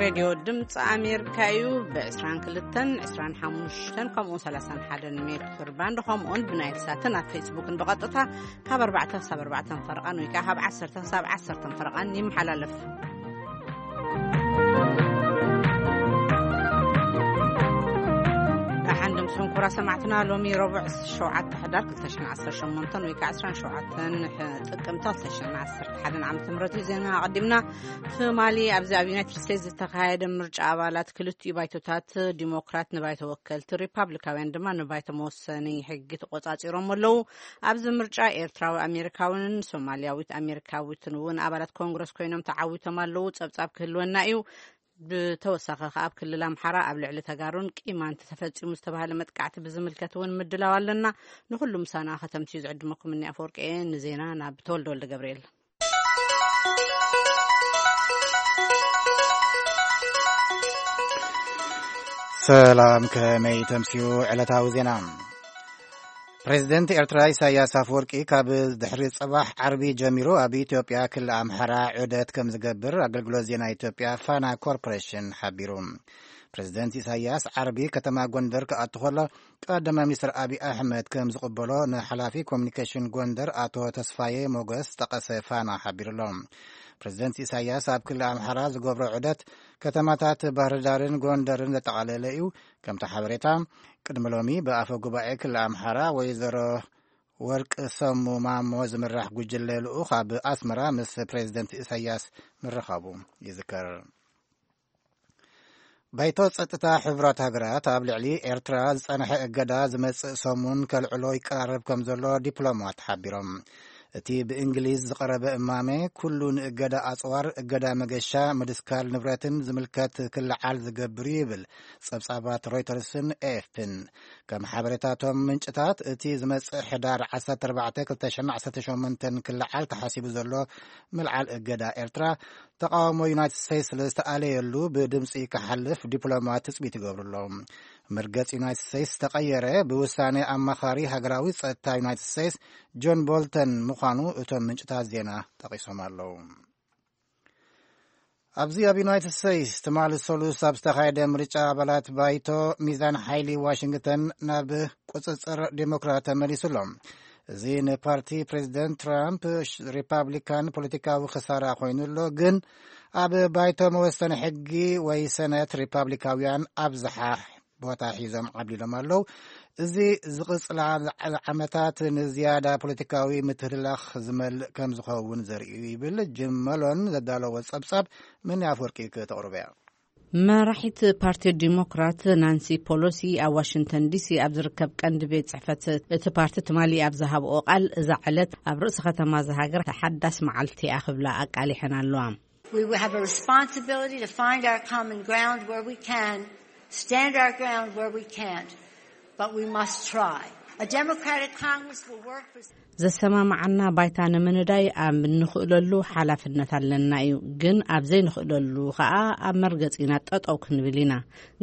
ሬድዮ ድምፂ ኣሜሪካ እዩ። ብ22፣ 25 ከምኡ 31 ሜትር ባንድ ከምኡውን ብናይል ሳትን ኣብ ፌስቡክን ብቐጥታ ካብ ኣርባዕተ ክሳብ ኣርባዕተ ፈረቓን ወይ ከዓ ካብ ዓሰርተ ክሳብ ዓሰርተ ፈረቓን ይመሓላለፍ። ኣሓንድም ሰንኩራ ሰማዕትና፣ ሎሚ ረቡዕ ሸውዓተ ሕዳር ክልተ ሽሕን ዓሰርተ ሸሞንተን ወይ ከዓ ዕስራን ሸውዓተን ጥቅምቲ ክልተ ሽሕን ዓሰርተ ሓደን ዓመተ ምህረት እዩ። ዜና ኣቐዲምና። ትማሊ ኣብዚ ኣብ ዩናይትድ ስቴትስ ዝተኻየደ ምርጫ ኣባላት ክልቲኡ ባይቶታት፣ ዲሞክራት ንባይቶ ወከልቲ፣ ሪፓብሊካውያን ድማ ንባይቶ መወሰኒ ሕጊ ተቆጻጺሮም ኣለዉ። ኣብዚ ምርጫ ኤርትራዊ ኣሜሪካውን ሶማልያዊት ኣሜሪካዊትን እውን ኣባላት ኮንግረስ ኮይኖም ተዓዊቶም ኣለዉ። ጸብጻብ ክህልወና እዩ። ብተወሳኺ ከኣ ኣብ ክልል ኣምሓራ ኣብ ልዕሊ ተጋሩን ቂማንት ተፈጺሙ ዝተባህለ መጥቃዕቲ ብዝምልከት እውን ምድላው ኣለና። ንኹሉ ምሳና ከተምስዩ ዝዕድመኩም እኒ ኣፈወርቂ እየ። ንዜና ናብ ተወልደ ወልደ ገብርኤል። ሰላም፣ ከመይ ተምስዩ ዕለታዊ ዜና? ፕሬዚደንት ኤርትራ ኢሳያስ ኣፈወርቂ ካብ ድሕሪ ጽባሕ ዓርቢ ጀሚሩ ኣብ ኢትዮጵያ ክልል ኣምሓራ ዑደት ከም ዝገብር ኣገልግሎት ዜና ኢትዮጵያ ፋና ኮርፖሬሽን ሓቢሩ። ፕሬዚደንት ኢሳያስ ዓርቢ ከተማ ጎንደር ክኣቱ ከሎ፣ ቀዳማይ ሚኒስትር ኣብይ ኣሕመድ ከም ዝቕበሎ ንሓላፊ ኮሚኒኬሽን ጎንደር ኣቶ ተስፋዬ ሞገስ ጠቐሰ ፋና ሓቢሩ ኣሎ። ፕሬዚደንት ኢሳያስ ኣብ ክልል ኣምሓራ ዝገብሮ ዑደት ከተማታት ባህርዳርን ጎንደርን ዘጠቓለለ እዩ። ከምቲ ሓበሬታ፣ ቅድሚ ሎሚ ብኣፈ ጉባኤ ክልል ኣምሓራ ወይዘሮ ወርቅ ሰሙ ማሞ ዝምራሕ ጉጅለ ልኡኽ ኣብ ኣስመራ ምስ ፕሬዚደንት ኢሳያስ ምርኻቡ ይዝከር። ባይቶ ጸጥታ ሕቡራት ሃገራት ኣብ ልዕሊ ኤርትራ ዝጸንሐ እገዳ ዝመጽእ ሰሙን ከልዕሎ ይቀራረብ ከም ዘሎ ዲፕሎማት ሓቢሮም። እቲ ብእንግሊዝ ዝቐረበ እማመ፣ ኩሉ ንእገዳ ኣጽዋር፣ እገዳ መገሻ፣ ምድስካል ንብረትን ዝምልከት ክለዓል ዝገብር እዩ ይብል ጸብጻባት ሮይተርስን ኤኤፍፒን። ከም ሓበሬታቶም ምንጭታት፣ እቲ ዝመጽእ ሕዳር ዓሰርተ ኣርባዕተ ክልተ ሽሕን ዓሰርተ ሸሞንተን ክለዓል ተሓሲቡ ዘሎ ምልዓል እገዳ ኤርትራ፣ ተቃውሞ ዩናይትድ ስቴትስ ስለ ዝተኣለየሉ ብድምፂ ክሓልፍ ዲፕሎማት ትፅቢት ይገብሩ ኣለዉ። መርገፂ ዩናይትድ ስቴትስ ተቐየረ ብውሳኔ ኣማኻሪ ሃገራዊ ጸጥታ ዩናይትድ ስቴትስ ጆን ቦልተን ምዃኑ እቶም ምንጭታት ዜና ጠቒሶም ኣለዉ። ኣብዚ ኣብ ዩናይትድ ስቴትስ ትማሊ ሰሉስ ኣብ ዝተኻየደ ምርጫ ኣባላት ባይቶ ሚዛን ሓይሊ ዋሽንግተን ናብ ቁጽጽር ዴሞክራት ተመሊሱ ኣሎ። እዚ ንፓርቲ ፕሬዚደንት ትራምፕ ሪፓብሊካን ፖለቲካዊ ክሳራ ኮይኑ ኣሎ፣ ግን ኣብ ባይቶ መወሰኒ ሕጊ ወይ ሰነት ሪፓብሊካውያን ኣብዝሓ ቦታ ሒዞም ዓብሊሎም ኣለዉ። እዚ ዝቕጽላ ዓመታት ንዝያዳ ፖለቲካዊ ምትህልላኽ ዝመልእ ከም ዝኸውን ዘርኢ እዩ ይብል ጅም መሎን ዘዳለዎ ጸብጻብ። መኒ ኣፍወርቂ ከተቕርበያ። መራሒት ፓርቲ ዲሞክራት ናንሲ ፖሎሲ ኣብ ዋሽንግተን ዲሲ ኣብ ዝርከብ ቀንዲ ቤት ጽሕፈት እቲ ፓርቲ ትማሊ ኣብ ዝሃብኦ ቃል፣ እዛ ዕለት ኣብ ርእሲ ከተማ እዛ ሃገር ሓዳስ መዓልቲ እያ ክብላ ኣቃሊሐን ኣለዋ። We have a responsibility to find our common ground where we can, stand our ground where we can't, but we must try. A Democratic Congress will work for ዘሰማማዓና ባይታ ንምንዳይ ኣብ እንኽእለሉ ሓላፍነት ኣለና እዩ፣ ግን ኣብ ዘይንኽእለሉ ኸኣ ኣብ መርገጺና ጠጠው ክንብል ኢና።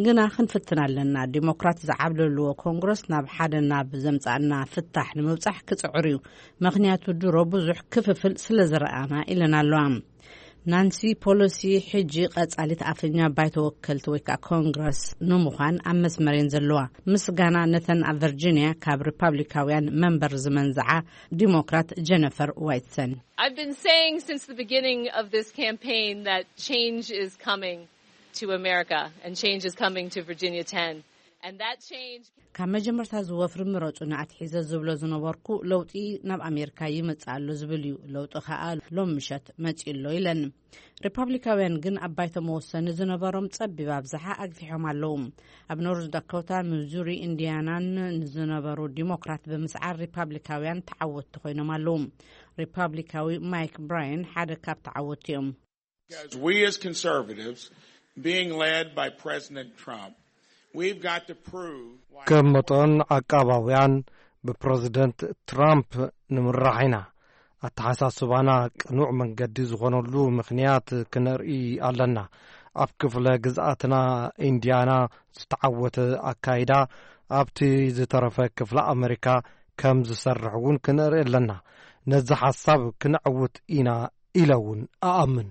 ግና ክንፍትን ኣለና። ዲሞክራት ዝዓብለልዎ ኮንግረስ ናብ ሓደ ናብ ዘምጻእና ፍታሕ ንምብጻሕ ክጽዕር እዩ። ምኽንያቱ ድሮ ብዙሕ ክፍፍል ስለ ዝረኣና ኢለን ኣለዋ። ናንሲ ፖሎሲ ሕጂ ቀጻሊት ኣፈኛ ባይቶ ወከልቲ ወይ ከዓ ኮንግረስ ንምዃን ኣብ መስመር እየን ዘለዋ። ምስጋና ነተን ኣብ ቨርጂኒያ ካብ ሪፓብሊካውያን መንበር ዝመንዝዓ ዲሞክራት ጀነፈር ዋይትሰን። I've been saying since the beginning of this campaign that change is coming to America and change is coming to Virginia ten. And that change ካብ መጀመርታ ዝወፍሪ ምረጹ ንኣትሒዘ ዝብሎ ዝነበርኩ ለውጢ ናብ ኣሜሪካ ይመጽእ ኣሎ ዝብል እዩ። ለውጢ ከኣ ሎም ምሸት መጺኡ ኣሎ ኢለን። ሪፓብሊካውያን ግን ኣብ ባይቶ መወሰኒ ዝነበሮም ጸቢብ ኣብዝሓ ኣግፊሖም ኣለዉ። ኣብ ኖርዝ ዳኮታ፣ ሚዙሪ፣ ኢንዲያናን ንዝነበሩ ዲሞክራት ብምስዓር ሪፓብሊካውያን ተዓወትቲ ኮይኖም ኣለዉ። ሪፓብሊካዊ ማይክ ብራየን ሓደ ካብ ተዓወትቲ እዮም። As we as conservatives, being led by President Trump, we've got to prove why ከም መጠን ዓቃባውያን ብፕረዚደንት ትራምፕ ንምራሕ ኢና። ኣተሓሳስባና ቅኑዕ መንገዲ ዝኾነሉ ምኽንያት ክነርኢ ኣለና። ኣብ ክፍለ ግዝኣትና ኢንዲያና ዝተዓወተ ኣካይዳ ኣብቲ ዝተረፈ ክፍለ ኣመሪካ ከም ዝሰርሕ እውን ክነርኢ ኣለና። ነዚ ሓሳብ ክነዕውት ኢና ኢለ እውን እኣምን።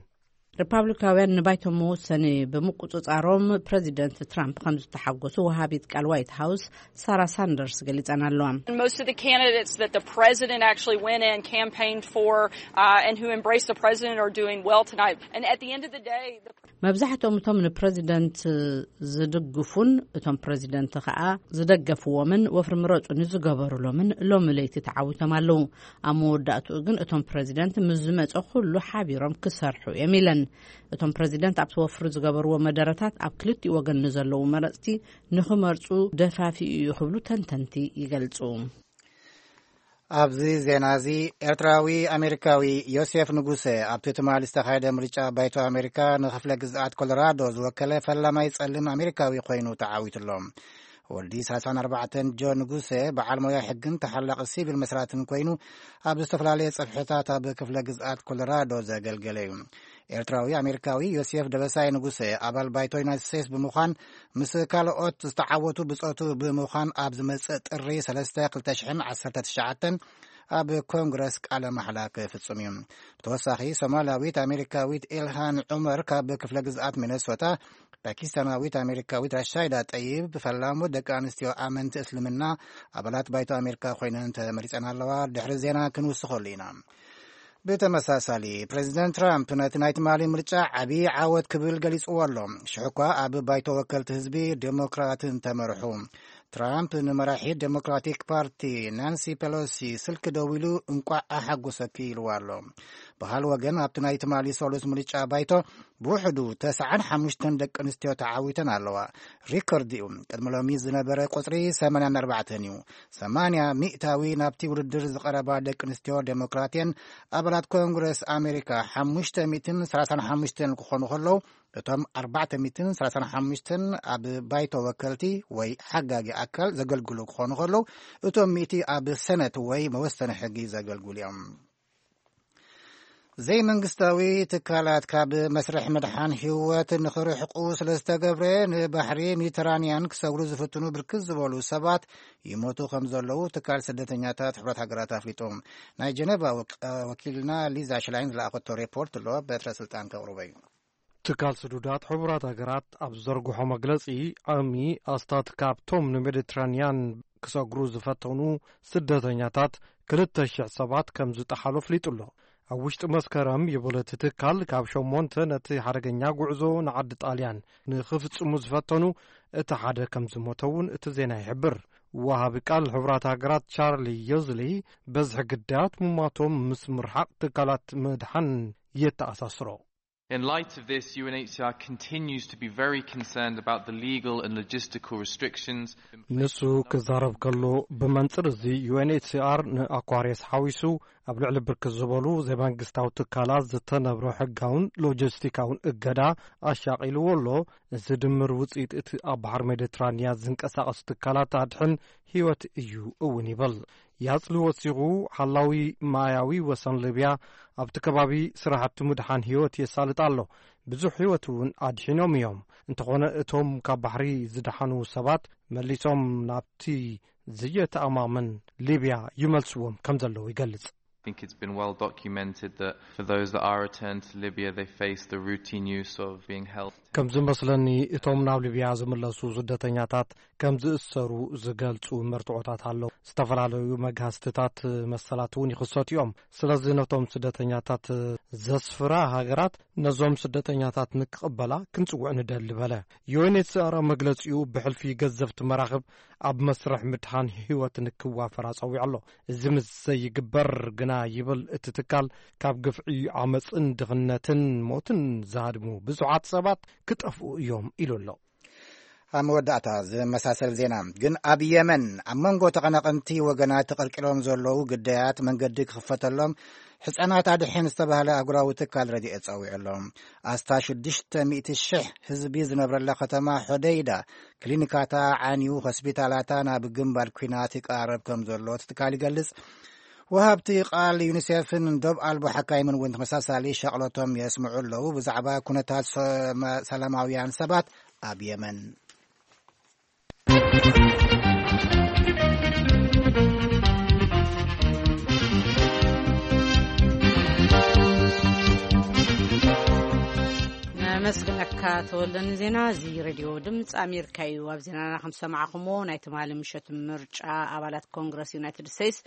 ሪፓብሊካውያን ንባይቶ መወሰኒ ብምቁጽጻሮም ፕረዚደንት ትራምፕ ከም ዝተሓጎሱ ወሃቢት ቃል ዋይት ሃውስ ሳራ ሳንደርስ ገሊጸን ኣለዋ። And most of the candidates that the president actually went and campaigned for, uh, and who embraced the president are doing well tonight. And at the end of the day, the መብዛሕትኦም እቶም ንፕረዚደንት ዝድግፉን እቶም ፕረዚደንት ከኣ ዝደገፍዎምን ወፍሪ ምረጹኒ ዝገበሩሎምን ሎሚ ለይቲ ተዓዊቶም ኣለዉ። ኣብ መወዳእትኡ ግን እቶም ፕረዚደንት ምስ ዝመጸ ኩሉ ሓቢሮም ክሰርሑ እዮም ኢለን። እቶም ፕረዚደንት ኣብቲ ወፍሪ ዝገበርዎ መደረታት ኣብ ክልቲኡ ወገን ንዘለዉ መረጽቲ ንኽመርጹ ደፋፊኡ እዩ ክብሉ ተንተንቲ ይገልጹ። ኣብዚ ዜና እዚ ኤርትራዊ ኣሜሪካዊ ዮሴፍ ንጉሰ ኣብቲ ትማሊ ዝተኻየደ ምርጫ ባይቶ ኣሜሪካ ንክፍለ ግዝኣት ኮሎራዶ ዝወከለ ፈላማይ ጸሊም ኣሜሪካዊ ኮይኑ ተዓዊትሎ። ወዲ ሰላሳን ኣርባዕተን ጆ ንጉሰ በዓል ሞያ ሕግን ተሓላቒ ሲቪል መስራትን ኮይኑ ኣብ ዝተፈላለየ ጽፍሕታት ኣብ ክፍለ ግዝኣት ኮሎራዶ ዘገልገለ እዩ። ኤርትራዊ ኣሜሪካዊ ዮሴፍ ደበሳይ ንጉሰ ኣባል ባይቶ ዩናይትድ ስቴትስ ብምዃን ምስ ካልኦት ዝተዓወቱ ብጾቱ ብምዃን ኣብ ዝመጽእ ጥሪ ሰለስተ ክልተ ሽሕን ዓሰርተ ትሽዓተን ኣብ ኮንግረስ ቃለ ማሕላ ክፍጽም እዩ። ብተወሳኺ ሶማላዊት ኣሜሪካዊት ኢልሃን ዑመር ካብ ክፍለ ግዝኣት ሚነሶታ፣ ፓኪስታናዊት ኣሜሪካዊት ራሻይዳ ጠይብ ፈላሙ ደቂ ኣንስትዮ ኣመንቲ እስልምና ኣባላት ባይቶ ኣሜሪካ ኮይነን ተመሪጸን ኣለዋ። ድሕሪ ዜና ክንውስኸሉ ኢና። ብተመሳሳሊ ፕሬዚደንት ትራምፕ ነቲ ናይ ትማሊ ምርጫ ዓብዪ ዓወት ክብል ገሊጽዎ ኣሎ። ሽሕ እኳ ኣብ ባይቶ ወከልቲ ህዝቢ ዴሞክራትን ተመርሑ። ትራምፕ ንመራሒት ዴሞክራቲክ ፓርቲ ናንሲ ፔሎሲ ስልኪ ደዊሉ እንቋዕ ኣሓጎሰኪ ኢልዋ ኣሎ። ብኻል ወገን ኣብቲ ናይ ትማሊ ሰሉስ ምርጫ ባይቶ ብውሕዱ ተስዓን ሓሙሽተን ደቂ ኣንስትዮ ተዓዊተን ኣለዋ። ሪከርድ እዩ። ቅድሚ ሎሚ ዝነበረ ቁጽሪ ሰማንያን ኣርባዕተን እዩ። ሰማንያ ሚእታዊ ናብቲ ውድድር ዝቐረባ ደቂ ኣንስትዮ ዴሞክራትየን ኣባላት ኮንግረስ ኣሜሪካ ሓሙሽተ ሚእትን ሰላሳን ሓሙሽተን ክኾኑ ከለዉ፣ እቶም ኣርባዕተ ሚእትን ሰላሳን ሓሙሽተን ኣብ ባይቶ ወከልቲ ወይ ሓጋጊ ኣካል ዘገልግሉ ክኾኑ ከለዉ፣ እቶም ሚእቲ ኣብ ሰነት ወይ መወሰኒ ሕጊ ዘገልግሉ እዮም። ዘይመንግስታዊ ትካላት ካብ መስርሕ ምድሓን ህይወት ንኽርሕቁ ስለ ዝተገብረ ንባሕሪ ሜዲተራንያን ክሰግሩ ዝፍትኑ ብርክት ዝበሉ ሰባት ይሞቱ ከም ዘለዉ ትካል ስደተኛታት ሕብረት ሃገራት ኣፍሊጡ። ናይ ጀነቫ ወክ-፣ ወኪልና ሊዛ ሽላይን ዝለኣኸቶ ሪፖርት ኣሎ፣ በትረ ስልጣን ከቕርቦ እዩ። ትካል ስዱዳት ሕቡራት ሃገራት ኣብ ዝዘርግሖ መግለጺ፣ ዓሚ ኣስታት ካብቶም ንሜዲትራንያን ክሰግሩ ዝፈተኑ ስደተኛታት ክልተ ሽሕ ሰባት ከም ዝጠሓሉ ኣፍሊጡ ኣሎ። ኣብ ውሽጢ መስከረም ይብል እቲ ትካል፣ ካብ ሸሞንተ ነቲ ሓደገኛ ጉዕዞ ንዓዲ ጣልያን ንኽፍጽሙ ዝፈተኑ እቲ ሓደ ከም ዝሞተ እውን እቲ ዜና ይሕብር። ወሃቢ ቃል ሕቡራት ሃገራት ቻርሊ ዮዝሊ፣ በዝሒ ግዳያት ሙማቶም ምስ ምርሓቕ ትካላት ምድሓን የተኣሳስሮ። In light of this, U N H C R continues to be very concerned about the legal and logistical restrictions. ንሱ ክዛረብ ከሎ፣ ብመንጽር እዚ ዩ ኤን ኤች ሲ ኣር ንኣኳርየስ ሓዊሱ ኣብ ልዕሊ ብርክት ዝበሉ ዘይመንግስታዊ ትካላት ዝተነብረ ሕጋውን ሎጂስቲካውን እገዳ ኣሻቒልዎ ኣሎ። እዚ ድምር ውጽኢት እቲ ኣብ ባሕሪ ሜዲትራንያ ዝንቀሳቐሱ ትካላት ኣድሕን ህይወት እዩ እውን ይብል። ያጽሊ ወሲኹ፣ ሓላዊ ማያዊ ወሰን ሊብያ ኣብቲ ከባቢ ስራሕቲ ምድሓን ህይወት የሳልጥ ኣሎ። ብዙሕ ህይወት እውን ኣድሒኖም እዮም። እንተኾነ እቶም ካብ ባሕሪ ዝደሓኑ ሰባት መሊሶም ናብቲ ዘየተኣማምን ሊብያ ይመልስዎም ከም ዘለዉ ይገልጽ። I think it's been well documented that for those that are returned to Libya, they face the routine use of being held. ከም ዝመስለኒ፣ እቶም ናብ ሊብያ ዝምለሱ ስደተኛታት ከም ዝእሰሩ ዝገልጹ መርትዖታት ኣለዉ። ዝተፈላለዩ መግሃስትታት መሰላት እውን ይኽሰቱ እዮም። ስለዚ ነቶም ስደተኛታት ዘስፍራ ሃገራት ነዞም ስደተኛታት ንክቕበላ ክንጽውዕ ንደሊ በለ። ዩ ኤን ኤች ሲ ኣር ኣብ መግለጺኡ፣ ብሕልፊ ገዘፍቲ መራኽብ ኣብ መስርሕ ምድሓን ህይወት ንክዋፈር ኣጸዊዑ ኣሎ። እዚ ምስ ዘይግበር ግና ይብል እቲ ትካል፣ ካብ ግፍዒ፣ ዓመጽን ድኽነትን ሞትን ዝሃድሙ ብዙሓት ሰባት ክጠፍኡ እዮም ኢሉ ኣሎ። ኣብ መወዳእታ ዝመሳሰል ዜና ግን፣ ኣብ የመን ኣብ መንጎ ተቐናቐንቲ ወገናት ተቐልቂሎም ዘለዉ ግዳያት መንገዲ ክኽፈተሎም ሕጻናት ኣድሕን ዝተባህለ ኣህጉራዊ ትካል ረድኤት ጸዊዑ ኣሎ። ኣስታት ሽዱሽተ ሚእቲ ሽሕ ህዝቢ ዝነብረላ ከተማ ሖደይዳ ክሊኒካታ ዓንዩ፣ ሆስፒታላታ ናብ ግንባር ኲናት ይቃረብ ከም ዘሎ እቲ ትካል ይገልጽ። ወሃብቲ ቃል ዩኒሴፍን ዶብ ኣልቦ ሓካይምን እውን ተመሳሳሊ ሻቕሎቶም የስምዑ ኣለዉ ብዛዕባ ኩነታት ሰ-፣ ሰላማውያን ሰባት ኣብ የመን። ተወልደን ዜና እዚ ሬድዮ ድምፂ ኣሜሪካ እዩ። ኣብ ዜናና ከም ሰማዕኹሞ ናይ ትማሊ ምሸት ምርጫ ኣባላት ኮንግረስ ዩናይትድ ስቴትስ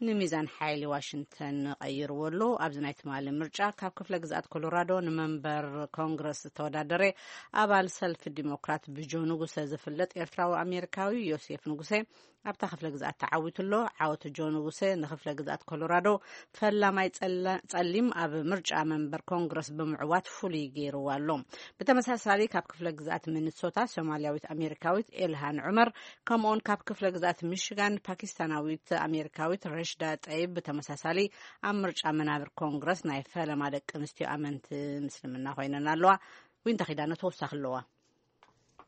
ንሚዛን ሓይሊ ዋሽንግተን ቀይርዎ ኣሎ። ኣብዚ ናይ ትማሊ ምርጫ ካብ ክፍለ ግዝኣት ኮሎራዶ ንመንበር ኮንግረስ ዝተወዳደረ ኣባል ሰልፊ ዲሞክራት ብጆ ንጉሰ ዝፍለጥ ኤርትራዊ ኣሜሪካዊ ዮሴፍ ንጉሰ ኣብታ ክፍለ ግዝኣት ተዓዊቱ ኣሎ። ዓወት ጆ ንጉሰ ንክፍለ ግዝኣት ኮሎራዶ ፈላማይ ጸላ- ጸሊም ኣብ ምርጫ መንበር ኮንግረስ ብምዕዋት ፍሉይ ገይርዎ ኣሎ። ብተመሳሳሊ ካብ ክፍለ ግዝኣት ሚኒሶታ ሶማልያዊት ኣሜሪካዊት ኤልሃን ዑመር ከምኡውን ካብ ክፍለ ግዝኣት ሚሽጋን ፓኪስታናዊት ኣሜሪካዊት ረሽዳ ጠይብ ብተመሳሳሊ ኣብ ምርጫ መናብር ኮንግረስ ናይ ፈለማ ደቂ ኣንስትዮ ኣመንቲ ምስልምና ኮይነን ኣለዋ። ዊንታ ኪዳነ ተወሳኺ ኣለዋ።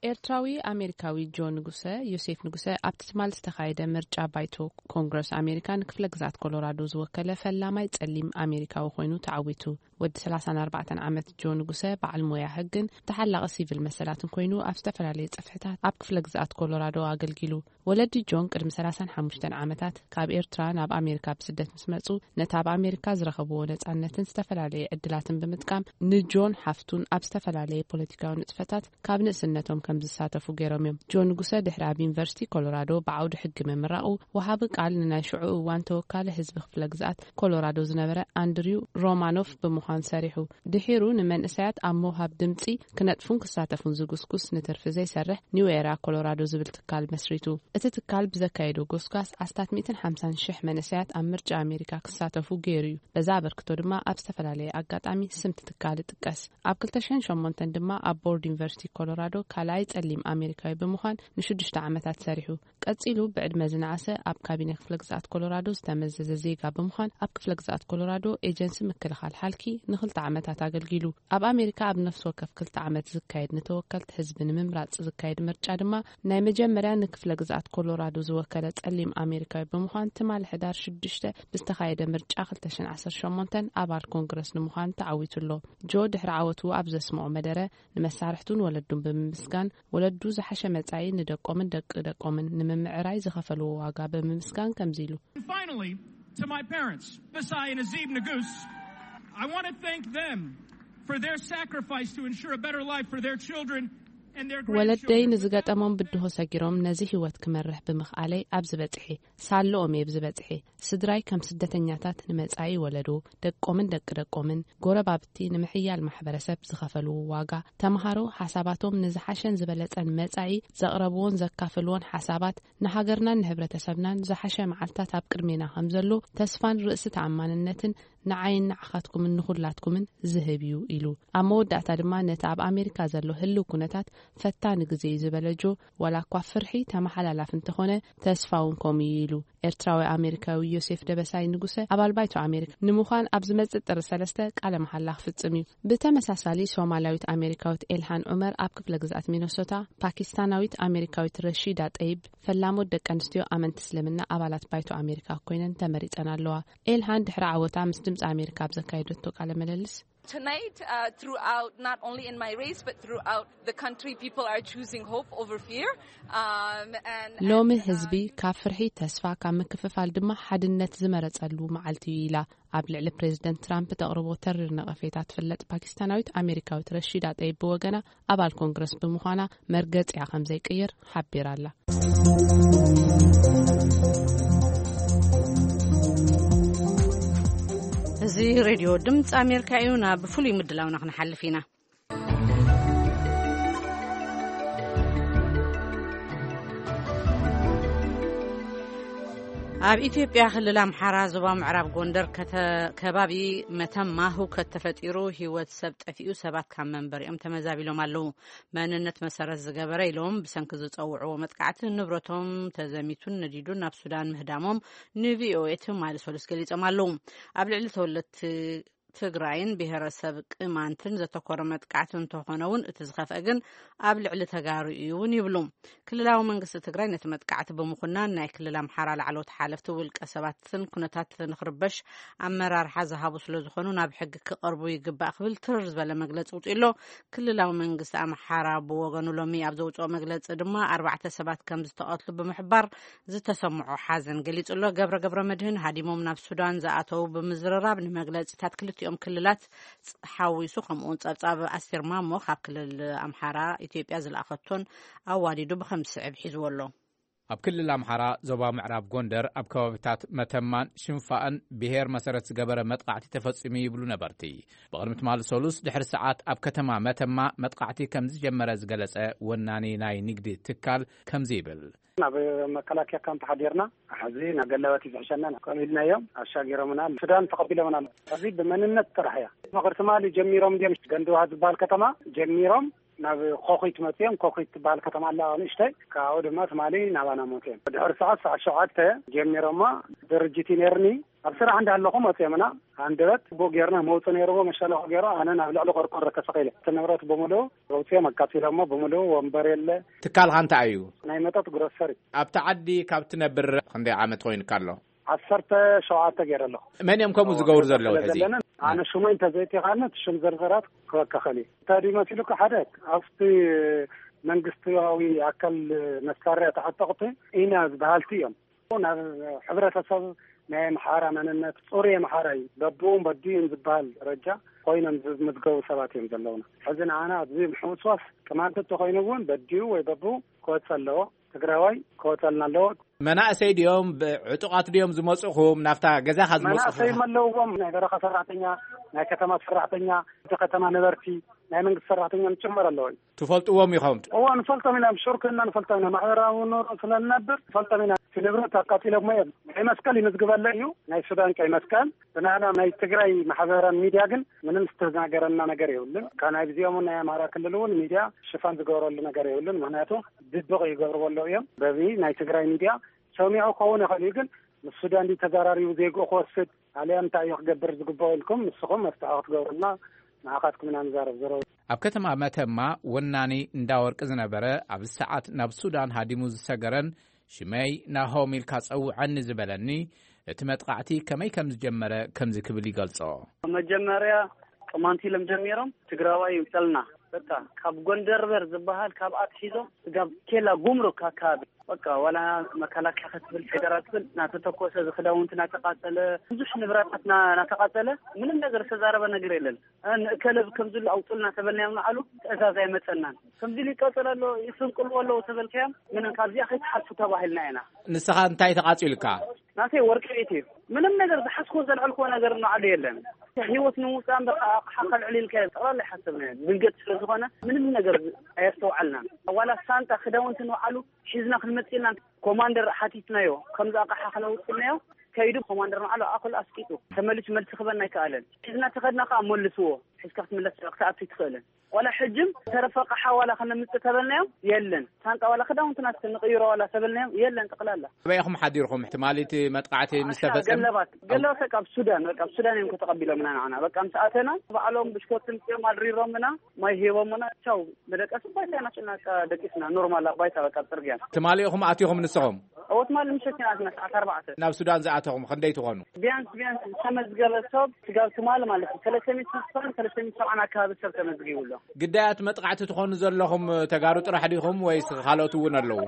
ኤርትራዊ ኣሜሪካዊ ጆ ንጉሰ፣ ዮሴፍ ንጉሰ፣ ኣብቲ ትማል ዝተኻየደ ምርጫ ባይቶ ኮንግረስ ኣሜሪካ ንክፍለ ግዝኣት ኮሎራዶ ዝወከለ ፈላማይ ጸሊም ኣሜሪካዊ ኮይኑ ተዓዊቱ። ወዲ ሰላሳን ኣርባዕተን ዓመት ጆ ንጉሰ በዓል ሞያ ሕግን ተሓላቒ ሲቪል መሰላትን ኮይኑ ኣብ ዝተፈላለየ ጽፍሕታት ኣብ ክፍለ ግዝኣት ኮሎራዶ ኣገልጊሉ። ወለዲ ጆን ቅድሚ ሰላሳን ሓሙሽተን ዓመታት ካብ ኤርትራ ናብ ኣሜሪካ ብስደት ምስ መጹ ነቲ ኣብ ኣሜሪካ ዝረኸብዎ ነጻነትን ዝተፈላለየ ዕድላትን ብምጥቃም ንጆን ሓፍቱን ኣብ ዝተፈላለየ ፖለቲካዊ ንጥፈታት ካብ ንእስነቶም ከም ዝሳተፉ ገይሮም እዮም። ጆን ንጉሰ ድሕሪ ኣብ ዩኒቨርሲቲ ኮሎራዶ ብዓውዲ ሕጊ ምምራቑ፣ ወሃቢ ቃል ንናይ ሽዑ እዋን ተወካሊ ህዝቢ ክፍለ ግዝኣት ኮሎራዶ ዝነበረ ኣንድሪው ሮማኖፍ ብምዃን ሰሪሑ። ድሒሩ ንመንእሰያት ኣብ ምውሃብ ድምጺ ክነጥፉን ክሳተፉን ዝጉስጉስ ንትርፊ ዘይሰርሕ ኒው ኤራ ኮሎራዶ ዝብል ትካል መስሪቱ። እቲ ትካል ብዘካየዶ ጎስጓስ ኣስታት ሚእትን ሓምሳን ሽሕ መንእሰያት ኣብ ምርጫ ኣሜሪካ ክሳተፉ ገይሩ እዩ። በዛ ኣበርክቶ ድማ ኣብ ዝተፈላለየ ኣጋጣሚ ስምቲ ትካል ይጥቀስ። ኣብ ክልተ ሽሕን ሸሞንተን ድማ ኣብ ቦርድ ዩኒቨርሲቲ ኮሎራዶ ካልኣይ ጸሊም ኣሜሪካዊ ብምዃን ንሽዱሽተ ዓመታት ሰሪሑ። ቀጺሉ ብዕድመ ዝነኣሰ ኣብ ካቢነ ክፍለ ግዝኣት ኮሎራዶ ዝተመዘዘ ዜጋ ብምዃን ኣብ ክፍለ ግዝኣት ኮሎራዶ ኤጀንሲ ምክልኻል ሓልኪ ንኽልተ ዓመታት ኣገልጊሉ። ኣብ ኣሜሪካ ኣብ ነፍሲ ወከፍ ክልተ ዓመት ዝካየድ ንተወከልቲ ህዝቢ ንምምራጽ ዝካየድ ምርጫ ድማ ናይ መጀመርያ ንክፍለ ግዝኣት ኮሎራዶ ዝወከለ ጸሊም ኣሜሪካዊ ብምዃን ትማሊ ሕዳር ሽዱሽተ ብዝተኻየደ ምርጫ ክልተ ሽሕን ዓሰርተ ሸሞንተን ኣባል ኮንግረስ ንምዃን ተዓዊቱ ኣሎ። ጆ ድሕሪ ዓወቱ ኣብ ዘስምዖ መደረ ንመሳርሕቱን ወለዱን ብምምስጋን ወለዱ ዝሓሸ መጻኢ ንደቆምን ደቂ ደቆምን ንምምዕራይ ዝኸፈልዎ ዋጋ ብምምስጋን ከምዚ ኢሉ። And finally, to my parents, Bisai and Azib Nagus, I want to thank them for their sacrifice to ensure a better life for their children and their ወለደይ grandchildren. ንዝገጠሞም ብድሆ ሰጊሮም ነዚ ህይወት ክመርሕ ብምኽኣለይ ኣብዚ በጽሐ። ሳለኦም እየ ኣብዚ በጽሐ። ስድራይ ከም ስደተኛታት ንመጻኢ ወለዶ፣ ደቆምን ደቂ ደቆምን፣ ጎረባብቲ ንምሕያል ማሕበረሰብ ዝኸፈልዎ ዋጋ፣ ተምሃሮ ሓሳባቶም ንዝሓሸን ዝበለጸን መጻኢ ዘቕረብዎን ዘካፈልዎን ሓሳባት ንሃገርናን ንሕብረተሰብናን ዝሓሸ መዓልታት ኣብ ቅድሜና ከም ዘሎ ተስፋን ርእሲ ተኣማንነትን ንዓይን ንዓኻትኩምን ንኹላትኩምን ዝህብ እዩ ኢሉ። ኣብ መወዳእታ ድማ ነቲ ኣብ ኣሜሪካ ዘሎ ህልው ኩነታት ፈታኒ ግዜ እዩ ዝበለ ጆ፣ ዋላ እኳ ፍርሒ ተመሓላላፊ እንተኾነ ተስፋ እውን ከምኡ እዩ ኢሉ። ኤርትራዊ ኣሜሪካዊ ዮሴፍ ደበሳይ ንጉሰ ኣባል ባይቶ ኣሜሪካ ንምዃን ኣብ ዝመጽእ ጥሪ ሰለስተ ቃለ መሓላ ክፍጽም እዩ። ብተመሳሳሊ ሶማላዊት ኣሜሪካዊት ኤልሃን ዑመር ኣብ ክፍለ ግዝኣት ሚነሶታ፣ ፓኪስታናዊት ኣሜሪካዊት ረሺዳ ጠይብ ፈላሞት ደቂ ኣንስትዮ ኣመንቲ እስልምና ኣባላት ባይቶ ኣሜሪካ ኮይነን ተመሪጸን ኣለዋ። ኤልሃን ድሕሪ ዓወታ ምስ ድምፂ ኣሜሪካ ኣብ ዘካየደቶ ቃለ ምልልስ Tonight, uh, throughout, not only in my race, but throughout the country, people are choosing hope over fear. Um, and, ሎሚ and, uh, ህዝቢ ካብ ፍርሒ ተስፋ፣ ካብ ምክፍፋል ድማ ሓድነት ዝመረጸሉ መዓልቲ እዩ ኢላ። ኣብ ልዕሊ ፕሬዝደንት ትራምፕ ተቕርቦ ተሪር ነቐፌታ ትፍለጥ ፓኪስታናዊት ኣሜሪካዊት ረሺዳ ጠይብ ብወገና ኣባል ኮንግረስ ብምዃና መርገጺኣ ከም ዘይቅይር ሓቢራ ኣላ። እዚ ሬድዮ ድምፂ ኣሜሪካ እዩ። ናብ ፍሉይ ምድላውና ክንሓልፍ ኢና። ኣብ ኢትዮጵያ ክልል ኣምሓራ ዞባ ምዕራብ ጎንደር ከተ- ከባቢ መተማ ህውከት ተፈጢሩ ህይወት ሰብ ጠፊኡ፣ ሰባት ካብ መንበሪኦም ተመዛቢሎም ኣለዉ። መንነት መሰረት ዝገበረ ኢሎም ብሰንኪ ዝጸውዕዎ መጥቃዕቲ ንብረቶም ተዘሚቱን ነዲዱን ናብ ሱዳን ምህዳሞም ንቪኦኤ ትማሊ ሰሉስ ገሊጾም ኣለዉ። ኣብ ልዕሊ ተወለድቲ ትግራይን ብሄረሰብ ቅማንትን ዘተኮረ መጥቃዕቲ እንተኾነ እውን እቲ ዝኸፍአ ግን ኣብ ልዕሊ ተጋሩ እዩ እውን ይብሉ። ክልላዊ መንግስቲ ትግራይ ነቲ መጥቃዕቲ ብምኹናን ናይ ክልል ኣምሓራ ላዕለዎት ሓለፍቲ ውልቀ ሰባትን ኩነታት ንኽርበሽ ኣመራርሓ ዝሃቡ ስለ ዝኾኑ ናብ ሕጊ ክቐርቡ ይግባእ ክብል ትርር ዝበለ መግለፂ ውፅኡ ኣሎ። ክልላዊ መንግስቲ ኣምሓራ ብወገኑ ሎሚ ኣብ ዘውፅኦ መግለፂ ድማ ኣርባዕተ ሰባት ከም ዝተቐትሉ ብምሕባር ዝተሰምዖ ሓዘን ገሊጹ ኣሎ። ገብረ ገብረ መድህን ሃዲሞም ናብ ሱዳን ዝኣተዉ ብምዝርራብ ንመግለጺታት ክልተ ክልቲኦም ክልላት ሓዊሱ፣ ከምኡውን ጸብጻብ ኣስቴር ማሞ ካብ ክልል ኣምሓራ ኢትዮጵያ ዝለኣኸቶን ኣዋዲዱ ብኸም ዝስዕብ ሒዝዎ ኣሎ። ኣብ ክልል ኣምሓራ ዞባ ምዕራብ ጎንደር ኣብ ከባቢታት መተማን ሽንፋእን ብሄር መሰረት ዝገበረ መጥቃዕቲ ተፈጺሙ ይብሉ ነበርቲ። ብቕድሚ ትማሊ ሰሉስ ድሕሪ ሰዓት ኣብ ከተማ መተማ መጥቃዕቲ ከም ዝጀመረ ዝገለጸ ወናኒ ናይ ንግዲ ትካል ከምዚ ይብል። ናብ መከላከያ ካምፕ ሓዲርና፣ ሕዚ ናብ ገላባት እዩ ዝሕሸና፣ ከምኡ ኢልናዮም ኣሻጊሮምና፣ ሱዳን ተቐቢሎምና። ሕዚ ብመንነት ጥራሕ እያ። ምኽሪ ትማሊ ጀሚሮም እንዲዮም፣ ገንድዋ ዝበሃል ከተማ ጀሚሮም ናብ ኮኺት መፅዮም። ኮኺት ትበሃል ከተማ ኣላ ንእሽተይ፣ ካብኡ ድማ ትማሊ ናባና መፅዮም። ድሕሪ ሰዓት፣ ሰዓት ሸውዓተ ጀሚሮማ፣ ድርጅት እዩ ነይርኒ። ኣብ ስራሕ እንዳለኹ መፅዮምና፣ ሃንደበት ቦ ጌርና መውፅ ነይርዎ፣ መሸለኹ ገይሮ፣ ኣነ ናብ ልዕሊ ቆርቆሮ ተሰቒለ። እቲ ንብረት ብምሉኡ ኣውፅኦም ኣቃፂሎሞ ብምሉኡ፣ ወንበር የለ። ትካልኻ እንታይ እዩ? ናይ መጠጥ ግሮሰሪ። ኣብቲ ዓዲ ካብ ትነብር ክንደይ ዓመት ኮይኑካ ኣሎ? ዓሰርተ ሸውዓተ ገይረ ኣለኹ። መን እዮም ከምኡ ዝገብሩ ዘለዉ ስለ ሕዚ? ዘለንን፣ ኣነ ሽመይ እንተዘይቲኻኒ እቲ ሽም ዝርዝራት ክበካ ኸእል እዩ። እንታይ ድዩ መሲሉካ? ሓደ ኣብቲ መንግስታዊ ኣካል መሳርያ ተዓጠቕቲ ኢና ዝበሃልቲ እዮም። ናብ ሕብረተሰብ ናይ ኣምሓራ መንነት፣ ጽሩይ ኣምሓራ እዩ፣ በብኡን በዲኡን ዝበሃል ደረጃ ኮይኖም ዝምዝገቡ ሰባት እዮም ዘለውና። ሕዚ ንዓና ኣብዚ ምሕውስዋስ ቅማንት እንተኾይኑ እውን በዲኡ ወይ በብኡ ክወጽእ ኣለዎ። ትግራዋይ ክወጸልና ኣለዎ። መናእሰይ ድዮም፣ ብ-፣ ዕጡቓት ድዮም ዝመጽእኹም? ናብታ ገዛኻ ዝመጽእኹም? መናእሰይ ኣለውዎም፣ ናይ በረኻ ሰራሕተኛ፣ ናይ ከተማ ሰራሕተኛ፣ እቲ ከተማ ነበርቲ፣ ናይ መንግስቲ ሰራሕተኛ ጭምር ኣለዎ። ትፈልጥዎም ኢኹም? እዎ፣ ንፈልጦም ኢና፣ ብሽርክና ንፈልጦም ኢና፣ ማሕበራዊ ኑሮ ስለ ንነብር ንፈልጦም ኢና። እቲ ንብረት ኣቃጺሎሞ እዮም። ቀይ መስቀል ይምዝግበለ እዩ፣ ናይ ሱዳን ቀይ መስቀል። ብናህና ናይ ትግራይ ማሕበራዊ ሚድያ ግን ምንም ዝተናገረና ነገር የብሉን። ካብ ናይ ብዚኦም ናይ ኣማራ ክልል እውን ሚድያ ሽፋን ዝገብረሉ ነገር የብሉን። ምክንያቱ ድብቕ ይገብርዎ ኣለዉ እዮም። በዚ ናይ ትግራይ ሚድያ ሰሚዑ ክኸውን ይኽእል እዩ፣ ግን ምስ ሱዳን ድዩ ተዘራሪቡ ዜግኡ ክወስድ፣ ኣልያ እንታይ እዩ ክገብር ዝግብኦ ኢልኩም ንስኹም መፍትሒ ክትገብሩልና ንዓኻትኩም ኢና ንዛረብ። ዘረው ኣብ ከተማ መተማ ወናኒ እንዳ ወርቂ ዝነበረ፣ ኣብዚ ሰዓት ናብ ሱዳን ሃዲሙ ዝሰገረን ሽመይ ናሆም ኢልካ ጸውዐኒ ዝበለኒ፣ እቲ መጥቃዕቲ ከመይ ከም ዝጀመረ ከምዚ ክብል ይገልጾ። መጀመርያ ቅማንት ኢሎም ጀሚሮም፣ ትግራዋይ ይውጠልና። በቃ ካብ ጎንደር በር ዝበሃል ካብ ኣትሒዞም ስጋብ ኬላ ጉምሩክ ኣካባቢ፣ በቃ ዋላ መከላከያ ክትብል ፌደራል ትብል እናተተኮሰ፣ ዝክዳውንቲ እናተቃጸለ፣ ብዙሕ ንብረታት እና-፣ እናተቃጸለ፣ ምንም ነገር ዝተዛረበ ነገር የለን። እ፣ ንእከለ ከምዚ ኢሉ ኣውጡልና ተበልናዮም ንዓሉ ትእዛዝ ኣይመጸናን። ከምዚ ኢሉ ይቀጽል ኣሎ፣ ይስንቅልዎ ኣለዉ ተበልካዮም፣ ምንም ካብዚኣ ከይትሓልፉ ተባሂልና ኢና። ንስኻ እንታይ ተቃጺልካ? ናተይ ወርቂ ቤት እዩ። ምንም ነገር ዝሓዝኩዎ ዘልዐልኩዎ ነገር ንዓሉ የለን። ህይወት ንምውጻእ እምበር ኣቕሓ ከልዕል ኢልካ ጠቕላላ ኣይሓሰብናዮ። ድንገት ስለ ዝኾነ ምንም ነገር ኣየስተውዓልናን። ዋላ ሳንጣ ክዳውንቲ ንባዕሉ ሒዝና ክንመጽእ ኢልና ኮማንደር ሓቲትናዮ፣ ከምዚ ኣቕሓ ክነውጽእ ኢልናዮ። ከይዱ ኮማንደር ንባዕሉ ኣኹል ኣስቂጡ ተመሊሱ መልሲ ክበና ኣይከኣለን። ሒዝና ተኸድና ከኣ መልስዎ፣ ሒዝካ ክትምለስ ክትኣቱ ኣይትኽእልን። ዋላ ሕጅም ተረፈ ኣቕሓ ዋላ ከነምጽእ ተበልናዮም የለን። ሳንጣ ዋላ ክዳውንትና እስኪ ንቕይሮ ዋላ ተበልናዮም የለን ጠቕላላ። ኣበይ ኢኹም ሓዲርኩም ትማሊ እቲ መጥቃዕቲ ምስ ዓሻ ተፈጸመ? ገለባት፣ ገለባት በቃ ኣብ ሱዳን፣ በቃ ኣብ ሱዳን እዮም ከተቐቢሎምና ንዓና። በቃ ምስ ኣተና ባዕሎም ብሽኮት ምጽኦም ኣድሪሮምና፣ ማይ ሂቦምና፣ ቻው። ብደቀስ ባይታ ኢና ጭናቃ ደቂስና፣ ኖርማል ኣብ ባይታ በቃ ኣብ ጽርግያ። ትማሊ ኢኹም ኣቲኹም ንስኹም? እዎ ትማሊ ምሸት ኢና ኣቲና ሰዓት ኣርባዕተ። ናብ ሱዳን ዝኣተኹም ክንደይ ትኾኑ? ቢያንስ፣ ቢያንስ ዝተመዝገበ ሰብ ስጋብ ትማሊ ማለት እዩ፣ ሰለስተ ሚእቲ ስሳን ሰለስተ ሚእቲ ሰብዓን ኣካባቢ ሰብ ተመዝጊቡ ኣሎ። ግዳያት መጥቃዕቲ ትኾኑ ዘለኹም ተጋሩ ጥራሕ ዲኹም ወይስ ካልኦት እውን ኣለዉ?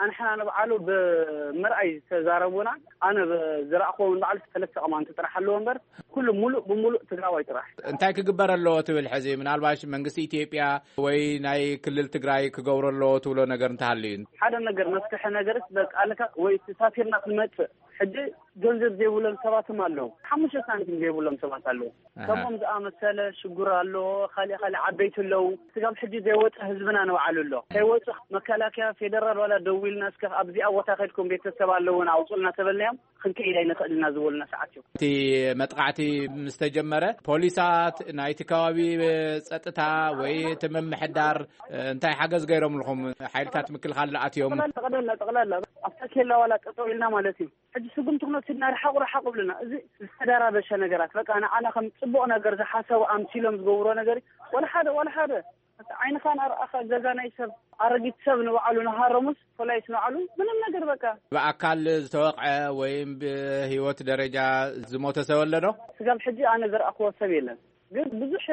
ኣንሕና ንባዕሉ ብምርኣይ ዝተዛረቡና፣ ኣነ ብ-፣ ዝረኣኽዎ ንባዕሉ ሰለስተ ቅማንት ጥራሕ ኣለዎ እምበር፣ ኩሉ ሙሉእ ብሙሉእ ትግራዋይ ጥራሕ። እንታይ ክግበር ኣለዎ ትብል ሕዚ? ምናልባሽ መንግስቲ ኢትዮጵያ ወይ ናይ ክልል ትግራይ ክገብሮ ኣለዎ ትብሎ ነገር እንተሃልዩ? ሓደ ነገር መፍትሒ ነገርስ በቃ ኣለካ ወይ ተሳፊርና ክንመጽእ። ሕጂ ገንዘብ ዘይብሎም ሰባትም ኣለዉ። ሓሙሽተ ሳንቲም ዘይብሎም ሰባት ኣለዉ። ኣሃ። ከምኦም ዝኣመሰለ ሽጉር ኣሎ፣ ካሊእ ካሊእ ዓበይቲ ኣለዉ። ስጋብ ሕጂ ዘይወፀ ህዝብና ንባዕሉ ኣሎ። ከይወፁ መከላከያ ፌደራል ዋላ ደዊልና እስከ ኣብዚኣ ቦታ ከድኩም ቤተሰብ ኣለዉን ኣውፁልና ተበልናዮም። ክንከይድ ኣይንኽእል ኢና ዝበሉና ሰዓት እዩ። እቲ መጥቃዕቲ ምስ ተጀመረ፣ ፖሊሳት፣ ናይቲ ከባቢ ጸጥታ ወይ እቲ ምምሕዳር፣ እ፣ እንታይ ሓገዝ ገይሮምልኹም? ሓይልታት ምክልኻል ኣትዮም? ጠቕላላ፣ ጠቕላላ፣ ጠቕላላ፣ ኣብታ ኬላ ዋላ ጠጠው ኢልና ማለት እዩ። ሕጂ ስጉምቲ ክንወስድ ኢና፣ ርሓቑ፣ ርሓቑ ብሉና። እዚ ዝተደራበሸ ነገራት፣ በቃ፣ ንዓና ከም ጽቡቕ ነገር ዝሓሰቡ ኣምሲሎም ዝገብሮ ነገር እዩ። ዋላ ሓደ፣ ዋላ ሓደ። ዓይንኻ እናረኣኻ ገዛ ናይ ሰብ፣ ኣረጊት ሰብ ንባዕሉ ንሃረሙስ፣ ፖላይስ ንባዕሉ ምንም ነገር በቃ። ብኣካል ዝተወቕዐ ወይም ብህይወት ደረጃ ዝሞተ ሰብ ኣሎ ዶ? ስጋብ ሕጂ ኣነ ዝረኣኽዎ ሰብ የለን። ግን ብዙሕ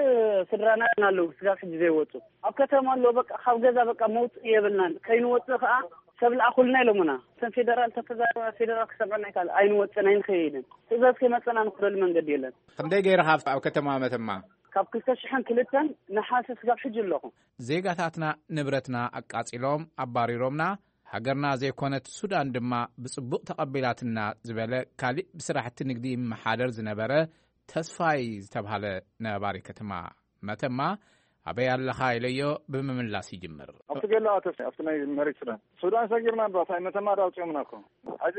ስድራና ኣለዉ ስጋብ ሕጂ ዘይወጹ። ኣብ ከተማ ኣለዉ በቃ፣ ካብ ገዛ በቃ መውጽኢ የብልናን። ከይንወጽእ ከኣ ሰብ ልኣኹልና ኢሎምና። እተን ፌደራል ተተዛረባ፣ ፌደራል ክሰምዐና ኣይከኣል፣ ኣይንወፅን ኣይንኸይድን። ትእዛዝ ከይመፀና ንኽደሉ መንገዲ የለን። ክንደይ ገይርኻ ኣብ ኣብ ከተማ መተማ? ካብ ክልተ ሽሕን ክልተን ነሓሰ ስጋብ ሕጂ ኣለኹ። ዜጋታትና ንብረትና ኣቃጺሎም ኣባሪሮምና፣ ሃገርና ዘይኮነት ሱዳን ድማ ብጽቡቕ ተቐቢላትና ዝበለ ካልእ ብስራሕቲ ንግዲ ይመሓደር ዝነበረ ተስፋይ ዝተብሃለ ነባሪ ከተማ መተማ፣ ኣበይ ኣለኻ ኢለዮ ብምምላስ ይጅምር። ኣብቲ ገላ ተስ ኣብቲ ናይ መሬት ሱዳን ሱዳን ሰጊርና እባ እንታይ መተማ ዳ ኣውፅኦምና እኮ። ሕዚ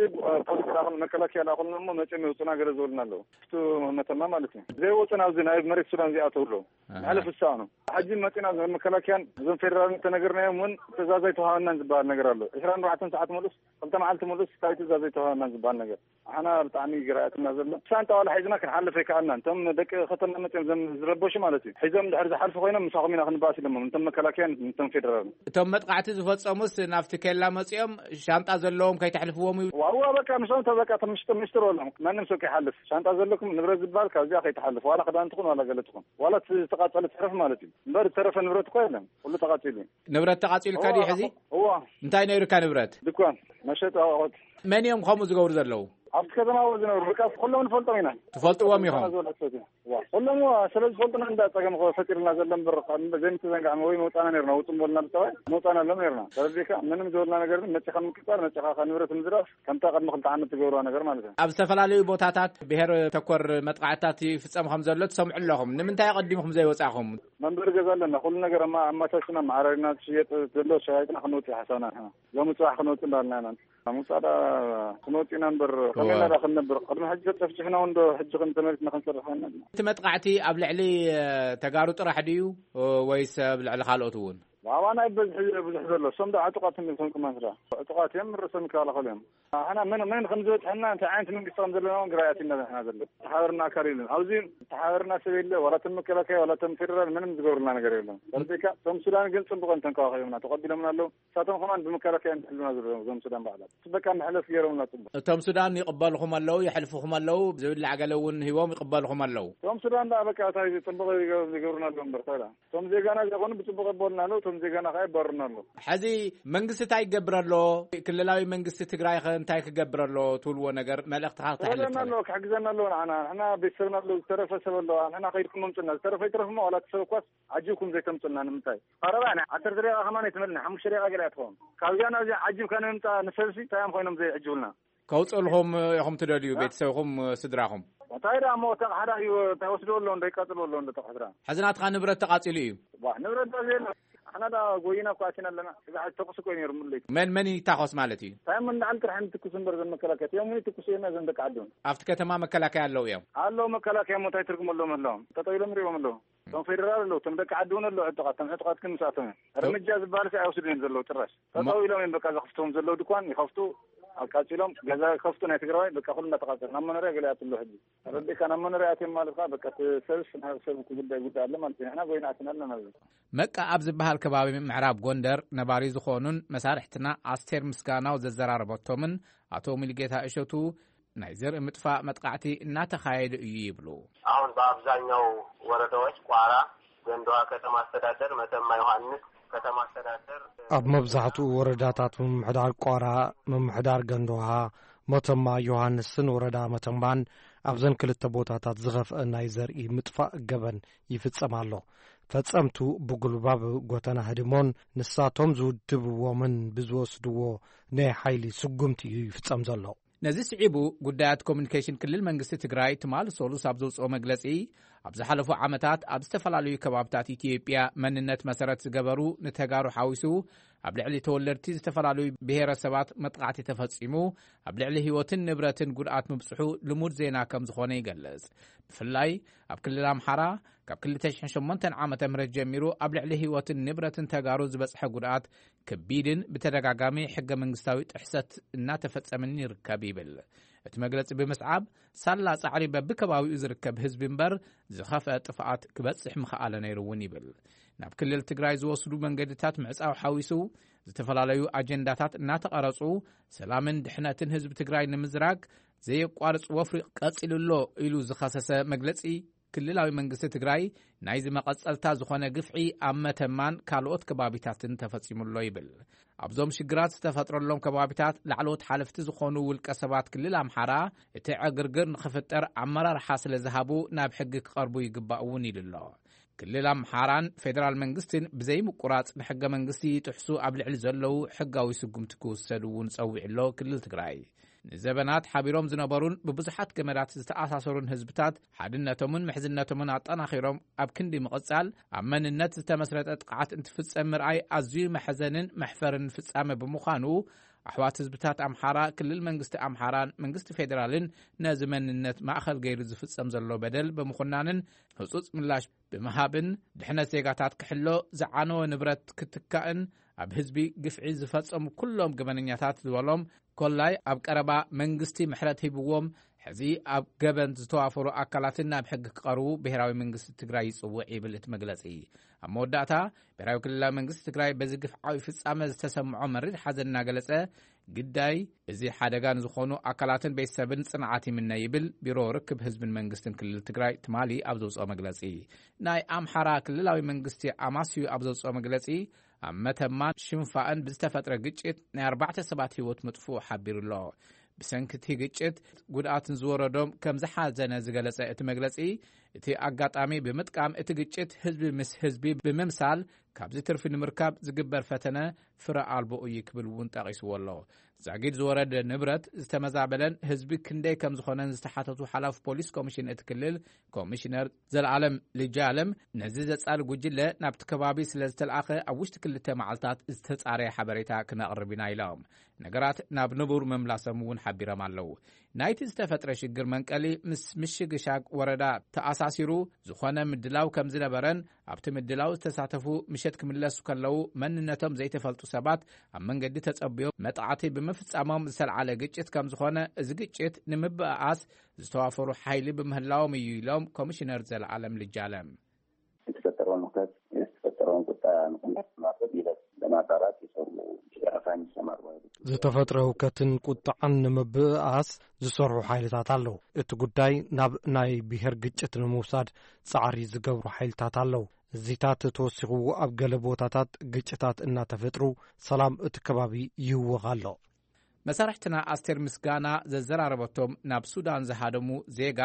ፖሊስ ላኹን መከላከያ ላኹን እሞ መፅኦም ይወፁና ገለ ዝበሉና ኣለዉ። ኣብቲ መተማ ማለት እዩ። ዘይወፁና ኣብዚ ናይ መሬት ሱዳን እዚኣተው ኣለዉ። ኣሃ። መሕለፍ ዝሰኣኑ። ሕጂ መፂና እዞም መከላከያን እዞም ፌደራልን ተነገርናዮም እውን ትእዛዝ ኣይተዋሃበናን ዝበሃል ነገር ኣሎ። ዕስራን ኣርባዕተን ሰዓት ሙሉስ ክልተ መዓልቲ ሙሉስ እንታይ ትእዛዝ ኣይተዋሃበናን ዝበሃል ነገር። ኣሕና ብጣዕሚ ግራ ያትና ዘሎ። ሻንጣ ዋላ ሒዝና ክንሓልፍ ኣይከኣልናን። እቶም ደቂ ከተማ መፅኦም ዘም ዝረበሹ ማለት እዩ። ሒዞም ድሕር ዝሓልፉ ኮይኖም ምሳኹም ኢና ክንበኣስ ኢሎሞም። እቶም መከላከያን እቶም ፌደራልን። እቶም መጥቃዕቲ ዝፈጸሙስ ናብቲ ኬላ መጺኦም ሻንጣ ዘለዎም ከይተሕልፍዎም እዩ? ዋዋ በቃ ምስኦም ተበቃ ተምሽጥ ምሽጥር በሎም። ማንም ሰብ ከይሓልፍ። ሻንጣ ዘለኩም ንብረት ዝበሃል ካብዚኣ ከይትሓልፍ። ዋላ ክዳን ትኹን ዋላ ገለ ትኹን። ዋላ እቲ ዝተቃጸለ ትረፍ ማለት እዩ። እምበር ዝተረፈ ንብረት እኮ የለን። ኩሉ ተቃጺሉ እዩ። ንብረት ተቃጺልካ ድዩ ሕዚ? እዋ። እንታይ ነይሩካ ንብረት? ድኳን፣ መሸጢ ኣቑሑት። መን እዮም ከምኡ ዝገብሩ ዘለዉ? ኣብቲ ከተማ እዎ ዝነብሩ። በቃ ኩሎም ንፈልጦም ኢና። ትፈልጥዎም ኢኹም? እዋ። ኩሎም እዋ፣ ስለ ዝፈልጡና እንዳ ጸገም እኮ ፈጢሩልና ዘሎ እምበር፣ ካብ ዘይምትዘንጋዕ ወይ መውጻና ነይርና፣ ውጹ እምበልና ብጠባይ መውጻና ኣሎም ነይርና። ተረዲእካ? ምንም ዝበልና ነገር ግን መጺኻ ምቅጻል፣ መጺኻ ካብ ንብረት ምዝራፍ፣ ከምታ ቅድሚ ክልተ ዓመት ትገብርዋ ነገር ማለት እዩ። ኣብ ዝተፈላለዩ ቦታታት ብሄር ተኮር መጥቃዕትታት ይፍጸም ከም ዘሎ ትሰምዑ ኣለኹም። ንምንታይ ኣቐዲምኩም ዘይወጻኹም? መንበሪ ገዛ ኣለና። ኩሉ ነገር ኣማ-፣ ኣማቻችና፣ መዓራሪና፣ ዝሽየጥ ዘሎ ሸያይጥና ክንወጽእ ሓሳብና ንሕና። ሎሚ ጽባሕ ክንወጽእ እንዳልና ኢና። ምውጻእ ዳ ክንወጽእ ኢና እምበር፣ ከመይ እዋ። ኢልና ዳ ክንነብር? ቅድሚ ሕጂ ተጨፍጭሕና እውን ዶ ሕጂ ከም ተመሊስና ክንሰርሕ ኮይና? እቲ መጥቃዕቲ ኣብ ልዕሊ፣ እ፣ ተጋሩ ጥራሕ ድዩ፣ እ፣ ወይስ ኣብ ልዕሊ ካልኦት እውን? ብኣባና እዩ በዝሒ ብዙሕ ዘሎ። እሶም ዶ ዕጡቓት እዮም፣ እቶም ቅማንት ዳ ዕጡቓት እዮም፣ ርእሶም ይከላኸሉ እዮም። ኣሕና መን፣ መን ከም ዝበጽሐና፣ እንታይ ዓይነት መንግስቲ ከም ዘለና እውን ግራ ያቲና ንሕና ዘሎ። ተሓበርና ኣካል የለን። ኣብዚ ተሓበርና ሰብ የለ፣ ዋላ እቶም መከላከያ፣ ዋላ እቶም ፌደራል ምንም ዝገብሩልና ነገር የለን። ተረዲእካ? እቶም ሱዳን ግን ጽቡቕ እዮም ተንከባኺቦምና፣ ተቐቢሎምና ኣለዉ። ንሳቶም ከማን ብመከላከያ እዮም ዝሕልፉና ዘለዉ፣ እዞም ሱዳን ባዕሎም። በቃ መሕለፍ ገይሮምና ጽቡቕ። እቶም ሱዳን ይቕበልኹም ኣለዉ፣ የሕልፉኹም ኣለዉ፣ ዝብላዕ ገለ እውን ሂቦም ይቕበልኹም ኣለዉ። እቶም ሱዳን ደኣ በቃ እንታይ ጽቡቕ ይገ-፣ ይገብሩና ኣለዉ እምበር፣ እንታይ ደኣ። እቶም ዜጋና ዘይኮኑ ብጽቡቕ ይበሉና ኣለዉ፣ እቶም ዜጋና ከኣ ይባርሩና ኣለዉ። ሕዚ መንግስቲ እንታይ ይገብር ኣሎ? ክልላዊ መንግስቲ ትግራይ ኸ እንታይ ክገብር ኣሎ ትብልዎ ነገር መልእኽትኻ ክተሕልፍ ትኽእል? ኣለዎ፣ ክሕግዘና ኣለዎ ንዓና። ንሕና ቤተሰብና ኣለዉ፣ ዝተረፈ ሰብ ኣለዋ። ንሕና ከይድኩም ኣምጽእና። ዝተረፈ ይትረፍ እሞ ዋላ እቲ ሰብ እኳስ ዓጂብኩም ዘይተምጽኡልና ንምንታይ? ቀረባ ኢና። ዓሰርተ ደቂቃ ከማን ኣይትመልእን፣ ሓሙሽተ ደቂቃ ገለ እያ ትኸውን። ካብዚኣ ናብዚኣ ዓጂብካ ንምምጻእ ንሰብሲ እንታይ እዮም ኮይኖም ዘይዕጅቡልና? ከውጽእልኹም ኢኹም ትደልዩ፣ እ? ቤተሰብኹም፣ ስድራኹም? እንታይ ደኣ እሞ፣ ተቕሓዳ እዩ፣ እንታይ ወስድዎ ኣለዉ፣ እንታይ ቀጽልዎ ኣለዉ፣ እንዶ ተቕሕድራ? ሕዚ ናትኻ ንብረት ተቓጺሉ እዩ? ዋ፣ ንብረት ዶ ዘየለ? ኣሕና ዳ ጎይና እኮ ኣቲና ኣለና። እዛ ተኩሲ እኮ እዩ ነይሩ፣ ሙሉ ለይቲ። መን፣ መን ይታኾስ ማለት እዩ? እንታይ እሞ፣ ንላዕሊ ጥራሕ እንትኩስ እምበር፣ ዘን መከላከያ እዮም፣ እውን ይትኩሱ እዮም፣ ዘን ደቂ ዓዲ እውን። ኣብቲ ከተማ መከላከያ ኣለዉ እዮም? ኣለዉ መከላከያ እሞ፣ እንታይ ትርጉም ኣለዎም፣ ኣለዎም? ጠጠው ኢሎም ይሪኦም ኣለዉ። እቶም ፌደራል ኣለዉ፣ እቶም ደቂ ዓዲ እውን ኣለዉ ዕጡቓት፣ እቶም ዕጡቓት ግን ምስኣቶም እዮም። እርምጃ ዝበሃል ከ ኣይወስዱን እዮም ዘለዉ ጭራሽ። እሞ ጠጠው ኢሎም እዮም በቃ ዘኽፍትዎም ዘለዉ ድኳን ይኸፍቱ፣ ኣቃጺሎም፣ ገዛ ይኸፍቱ ናይ ትግራዋይ፣ በቃ ኩሉ እንዳተቃጸለ ናብ መኖርያ ገለ ይኣትሉ ሕጂ። ተረዲእካ? ናብ መኖርያ ኣትዮም ማለት ከኣ በቃ እቲ ሰብስ ናይ ሰብ ጉዳይ ጉዳይ ኣሎ ማለት እዩ። ንሕና ጎይና ኣቲና ኣለና ኣብዚ። መቃ ኣብ ዝበሃል ከባቢ ምዕራብ ጎንደር ነባሪ ዝኾኑን መሳርሕትና ኣስቴር ምስጋናው ዘዘራረበቶምን ኣቶ ሙሉጌታ እሸቱ ናይ ዘርኢ ምጥፋእ መጥቃዕቲ እናተኻየደ እዩ ይብሉ። አሁን በአብዛኛው ወረዳዎች ቋራ፣ ገንዳዋ ከተማ አስተዳደር፣ መተማ ዮሐንስ ከተማ አስተዳደር፣ ኣብ መብዛሕትኡ ወረዳታት ምምሕዳር ቋራ፣ ምምሕዳር ገንዳዋ፣ መተማ ዮሐንስን ወረዳ መተማን ኣብዘን ክልተ ቦታታት ዝኸፍአ ናይ ዘርኢ ምጥፋእ ገበን ይፍጸም ኣሎ። ፈጸምቱ ብጉልባብ ጎተና ህድሞን ንሳቶም ዝውድብዎምን ብዝወስድዎ ናይ ሓይሊ ስጉምቲ እዩ ይፍጸም ዘሎ። ነዚ ስዒቡ ጉዳያት ኮሚኒኬሽን ክልል መንግስቲ ትግራይ ትማሊ ሰሉስ ኣብ ዘውፅኦ መግለፂ፣ ኣብ ዝሓለፉ ዓመታት ኣብ ዝተፈላለዩ ከባብታት ኢትዮጵያ መንነት መሰረት ዝገበሩ ንተጋሩ ሓዊሱ ኣብ ልዕሊ ተወለድቲ ዝተፈላለዩ ብሄረሰባት መጥቃዕቲ ተፈፂሙ ኣብ ልዕሊ ህይወትን ንብረትን ጉድኣት ምብፅሑ ልሙድ ዜና ከም ዝኾነ ይገልፅ። ብፍላይ ኣብ ክልል ኣምሓራ ካብ ክልተ ሽሕን ሸሞንተን ዓመተ ምህረት ጀሚሩ ኣብ ልዕሊ ህይወትን ንብረትን ተጋሩ ዝበፅሐ ጉድኣት ከቢድን ብተደጋጋሚ ሕገ መንግስታዊ ጥሕሰት እናተፈጸመን ይርከብ ይብል። እቲ መግለጺ ብምስዓብ፣ ሳላ ጻዕሪ በብከባቢኡ ዝርከብ ህዝቢ እምበር ዝኸፍአ ጥፍኣት ክበጽሕ ምኽኣለ ነይሩ እውን ይብል። ናብ ክልል ትግራይ ዝወስዱ መንገድታት ምዕጻው ሓዊሱ ዝተፈላለዩ ኣጀንዳታት እናተቐረጹ ሰላምን ድሕነትን ህዝቢ ትግራይ ንምዝራግ ዘየቋርጽ ወፍሪ ቀጺሉ ኣሎ ኢሉ ዝኸሰሰ መግለጺ ክልላዊ መንግስቲ ትግራይ ናይዚ መቐጸልታ ዝኾነ ግፍዒ ኣብ መተማን ካልኦት ከባቢታትን ተፈጺሙ ኣሎ ይብል። ኣብዞም ሽግራት ዝተፈጥረሎም ከባቢታት ላዕለዎት ሓለፍቲ ዝኾኑ ውልቀ ሰባት ክልል ኣምሓራ፣ እቲ ዕግርግር ንኽፍጠር ኣመራርሓ ስለ ዝሃቡ ናብ ሕጊ ክቐርቡ ይግባእ እውን ኢሉ ኣሎ። ክልል ኣምሓራን ፌደራል መንግስትን ብዘይምቁራጽ ንሕገ መንግስቲ ይጥሕሱ ኣብ ልዕሊ ዘለዉ ሕጋዊ ስጉምቲ ክውሰድ እውን ጸዊዑ ኣሎ ክልል ትግራይ። ንዘበናት ሓቢሮም ዝነበሩን ብብዙሓት ገመዳት ዝተኣሳሰሩን ህዝብታት ሓድነቶምን ምሕዝነቶምን ኣጠናኺሮም ኣብ ክንዲ ምቕጻል፣ ኣብ መንነት ዝተመስረተ ጥቕዓት እንትፍጸም ምርኣይ ኣዝዩ መሕዘንን መሕፈርን ፍጻመ ብምዃኑ፣ ኣሕዋት ህዝብታት ኣምሓራ ክልል መንግስቲ ኣምሓራን መንግስቲ ፌደራልን ነዚ መንነት ማእኸል ገይሩ ዝፍጸም ዘሎ በደል ብምኹናንን ህጹጽ ምላሽ ብምሃብን ድሕነት ዜጋታት ክሕሎ፣ ዝዓነወ ንብረት ክትካእን ኣብ ህዝቢ ግፍዒ ዝፈጸሙ ኩሎም ገበነኛታት ዝበሎም ኮላይ ኣብ ቀረባ መንግስቲ ምሕረት ሂብዎም፣ ሕዚ ኣብ ገበን ዝተዋፈሩ ኣካላትን ናብ ሕጊ ክቐርቡ ብሄራዊ መንግስቲ ትግራይ ይጽውዕ ይብል እቲ መግለጺ። ኣብ መወዳእታ ብሄራዊ ክልላዊ መንግስቲ ትግራይ በዚ ግፍዓዊ ፍጻመ ዝተሰምዖ መሪር ሓዘን እናገለጸ፣ ግዳይ እዚ ሓደጋ ንዝኾኑ ኣካላትን ቤተሰብን ጽንዓት ይምነ ይብል ቢሮ ርክብ ህዝብን መንግስትን ክልል ትግራይ ትማሊ ኣብ ዘውፅኦ መግለጺ። ናይ ኣምሓራ ክልላዊ መንግስቲ ኣማስዩ ኣብ ዘውፅኦ መግለጺ፣ ኣብ መተማን ሽንፋእን ብዝተፈጥረ ግጭት ናይ ኣርባዕተ ሰባት ህይወት ምጥፍኡ ሓቢሩ ኣሎ። ብሰንኪ እቲ ግጭት ጉድኣት ንዝወረዶም ከም ዝሓዘነ ዝገለጸ እቲ መግለጺ፣ እቲ ኣጋጣሚ ብምጥቃም እቲ ግጭት ህዝቢ ምስ ህዝቢ ብምምሳል ካብዚ ትርፊ ንምርካብ ዝግበር ፈተነ ፍረ ኣልቦ እዩ ክብል እውን ጠቒስዎ ኣሎ። ዛጊድ ዝወረደ ንብረት ዝተመዛበለን ህዝቢ ክንደይ ከም ዝኾነን ዝተሓተቱ ሓላፊ ፖሊስ ኮሚሽን እቲ ክልል ኮሚሽነር ዘለኣለም ልጃለም፣ ነዚ ዘጻሊ ጉጅለ ናብቲ ከባቢ ስለ ዝተለኣኸ ኣብ ውሽጢ ክልተ መዓልታት ዝተጻረየ ሓበሬታ ክነቕርብ ኢና ኢሎም። ነገራት ናብ ንቡር ምምላሶም እውን ሓቢሮም ኣለዉ። ናይቲ ዝተፈጥረ ሽግር መንቀሊ ምስ ምሽግሻግ ወረዳ ተኣሳሲሩ ዝኾነ ምድላው ከም ዝነበረን ኣብቲ ምድላው ዝተሳተፉ ምሸት ክምለሱ ከለዉ መንነቶም ዘይተፈልጡ ሰባት ኣብ መንገዲ ተጸብዮም መጥቃዕቲ ብምፍጻሞም ዝተልዓለ ግጭት ከም ዝኾነ፣ እዚ ግጭት ንምብእኣስ ዝተዋፈሩ ሓይሊ ብምህላዎም እዩ ኢሎም ኮሚሽነር ዘለኣለም ልጃለም። የተፈጠረውን ሁከት፣ የተፈጠረውን ቁጣ ንቁም ነገር ለማድረግ ሂደት ለማጣራት የሰሩ የአፋኝ ይሰማሩ። ዝተፈጥረ ሁከትን ቁጥዓን ንምብእኣስ ዝሰርሑ ሓይልታት ኣለዉ። እቲ ጉዳይ ናብ ናይ ብሔር ግጭት ንምውሳድ ጻዕሪ ዝገብሩ ሓይልታት ኣለዉ። እዚታት ተወሲኹ ኣብ ገለ ቦታታት ግጭታት እናተፈጥሩ ሰላም እቲ ከባቢ ይህወኽ ኣሎ። መሳርሕትና ኣስቴር ምስጋና ዘዘራረበቶም ናብ ሱዳን ዝሃደሙ ዜጋ፣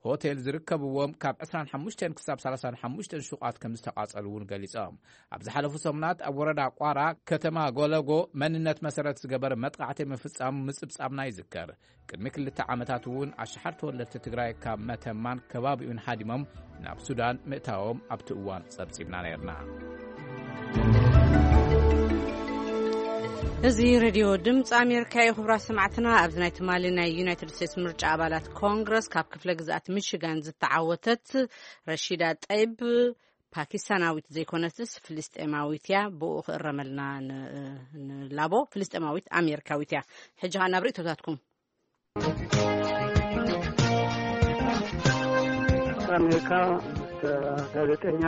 ሆቴል ዝርከብዎም ካብ ዕስራን ሓሙሽተን ክሳብ ሰላሳን ሓሙሽተን ሹቓት ከም ዝተቓጸሉ እውን ገሊጾም። ኣብ ዝሓለፉ ሰሙናት ኣብ ወረዳ ቋራ ከተማ ጎለጎ መንነት መሰረት ዝገበረ መጥቃዕቲ ምፍጻሙ ምጽብጻብና ይዝከር። ቅድሚ ክልተ ዓመታት እውን ኣሽሓት ተወለድቲ ትግራይ ካብ መተማን ከባቢኡን ሃዲሞም ናብ ሱዳን ምእታዎም ኣብቲ እዋን ጸብጺብና ነይርና። እዚ ሬድዮ ድምፂ ኣሜሪካ እዩ። ክቡራት ሰማዕትና፣ ኣብዚ ናይ ትማሊ ናይ ዩናይትድ ስቴትስ ምርጫ ኣባላት ኮንግረስ ካብ ክፍለ ግዝኣት ሚሽጋን ዝተዓወተት ረሺዳ ጠይብ ፓኪስታናዊት ዘይኮነትስ ፍልስጤማዊት እያ። ብኡ ክእረመልና ን-፣ ንላቦ። ፍልስጤማዊት ኣሜሪካዊት እያ። ሕጂ ኸዓ ናብ ርእይቶታትኩም። ኣሜሪካ ምስ ጋዜጠኛ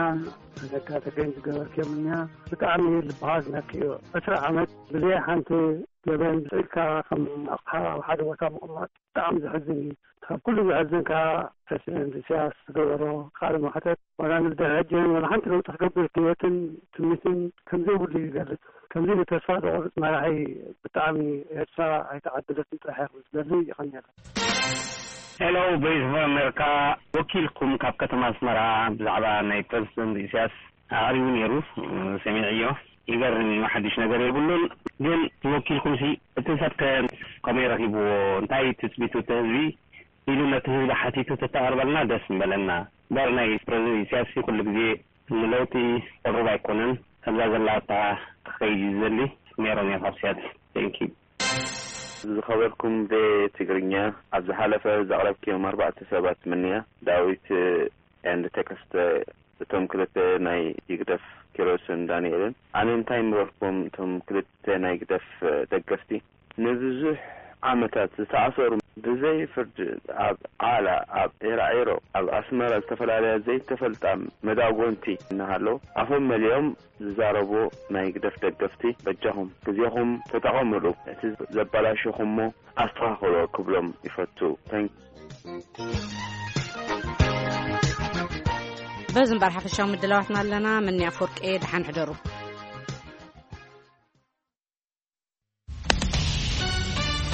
ዘካ ተገኝ ዝገበርክዮ ምንያ ብጣዕሚ ልብኻ ዝነክእ እዩ። ዕስራ ዓመት ብዘይ ሓንቲ ገበን ኢልካ ከም ኣቕሓ ኣብ ሓደ ቦታ ምቕማጥ ብጣዕሚ ዘሕዝን እዩ። ካብ ኩሉ ዘሕዝን ከኣ ፕረሲደንት ኢሳያስ ዝገበሮ ቃለ መሕተት ዋላ ንድሕሪ ሕጂ ወላ ሓንቲ ለውጢ ክገብር ድሌትን ትምኒትን ከም ዘይብሉ ይገልጽ። ከምዚ ንተስፋ ዘቑርጽ መራሒ ብጣዕሚ ኤርትራ ኣይተዓደለትን ጥራሕ እየ ክብል ዝደሊ። ይቐንየልና። ሄሎ፣ ቮይስ ኦፍ ኣሜሪካ፣ ወኪልኩም ካብ ከተማ ኣስመራ ብዛዕባ ናይ ፕረዚደንት ኢሳያስ ኣቕሪቡ ነይሩ፣ ሰሚዐዮ። ይገርም እዩ፣ ሓድሽ ነገር የብሉን። ግን ወኪልኩም ሲ እቲ ሰብ ከ ከመይ ረኺብዎ? እንታይ ትጽቢቱ እቲ ህዝቢ ኢሉ ነቲ ህዝቢ ሓቲቱ ተተቐርበልና ደስ ምበለና። እምበር ናይ ፕረዚደንት ኢሳያስ ሲ ኩሉ ግዜ ንለውጢ ቅሩብ ኣይኮነን። ከምዛ ዘላታ ክኸይድ እዩ ዝደሊ። ሜሮን እየ ካብ ሲያትል። Thank you። ዝኸበርኩም ብትግርኛ፣ ኣብ ዝሓለፈ ዘቕረብክዮም ኣርባዕተ ሰባት ምንያ፣ ዳዊት and ተከስተ፣ እቶም ክልተ ናይ ይግደፍ፣ ኪሮስን ዳንኤልን። ኣነ እንታይ ምበልኩም፣ እቶም ክልተ ናይ ግደፍ ደገፍቲ፣ ንብዙሕ ዓመታት ዝተኣሰሩ፣ ብዘይ ፍርዲ ኣብ ዓላ፣ ኣብ ዒራዒሮ፣ ኣብ ኣስመራ ዝተፈላለያ ዘይተፈልጣ መዳጎንቲ እናሃለዉ ኣፎም መሊኦም ዝዛረቡ ናይ ግደፍ ደገፍቲ፣ በጃኹም ግዜኹም ተጠቐምሉ፣ እቲ ዘበላሸኹሞ ኣስተኻኽሎ ክብሎም ይፈቱ። Thank you። በዚ እምበር ሓፈሻዊ ምድላዋትና ኣለና። ምንያ ፍርቂ፣ ደሓን ሕደሩ።